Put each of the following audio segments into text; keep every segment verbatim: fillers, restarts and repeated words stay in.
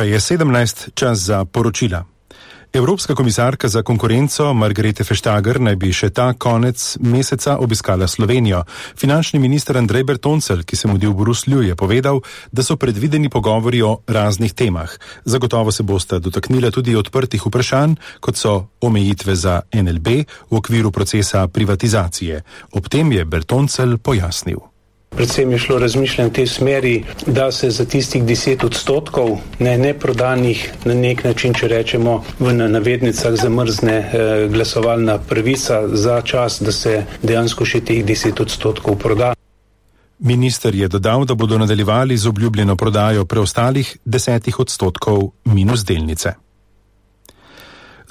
Ura je sedemnajst, čas za poročila. Evropska komisarka za konkurenco Margrethe Vestager naj bi še ta konec meseca obiskala Slovenijo. Finančni minister Andrej Bertoncelj, ki se mudi v Bruslju, je povedal, da so predvideni pogovori o raznih temah. Zagotovo se bosta dotaknila tudi odprtih vprašanj, kot so omejitve za N L B v okviru procesa privatizacije. Ob tem je Bertoncelj pojasnil. Predvsem je šlo razmišljanje v tej smeri, da se za tistih deset odstotkov ne, neprodanih na nek način, če rečemo v navednicah, zamrzne eh, glasovalna pravica za čas, da se dejansko še teh deset odstotkov proda. Minister je dodal, da bodo nadaljevali z obljubljeno prodajo preostalih desetih odstotkov minus delnice.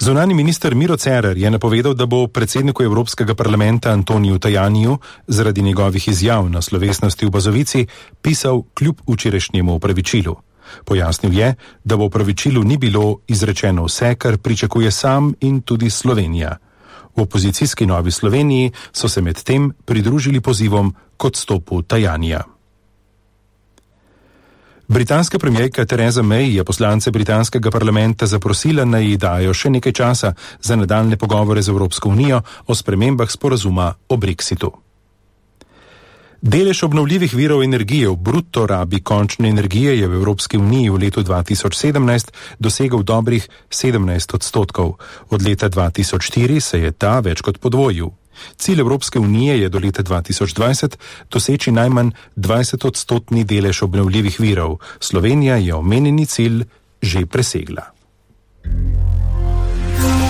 Zunanji minister Miro Cerar je napovedal, da bo predsedniku Evropskega parlamenta Antoniju Tajaniju zaradi njegovih izjav na slovesnosti v Bazovici pisal kljub včerajšnjemu opravičilu. Pojasnil je, da v opravičilu ni bilo izrečeno vse, kar pričakuje sam in tudi Slovenija. V opozicijski Novi Sloveniji so se med tem pridružili pozivom k odstopu Tajanija. Britanska premierka Theresa May je poslance britanskega parlamenta zaprosila, naj ji dajo še nekaj časa za nadaljne pogovore z Evropsko unijo o spremembah sporazuma o Brexitu. Delež obnovljivih virov energije v bruto rabi končne energije je v Evropski uniji v letu dva tisoč sedemnajst dosegel dobrih sedemnajst odstotkov. Od leta dva tisoč štiri se je ta več kot podvojil. Cilj Evropske unije je do leta dva tisoč dvajset doseči najmanj dvajset odstotni delež obnovljivih virov. Slovenija je omenjeni cilj že presegla.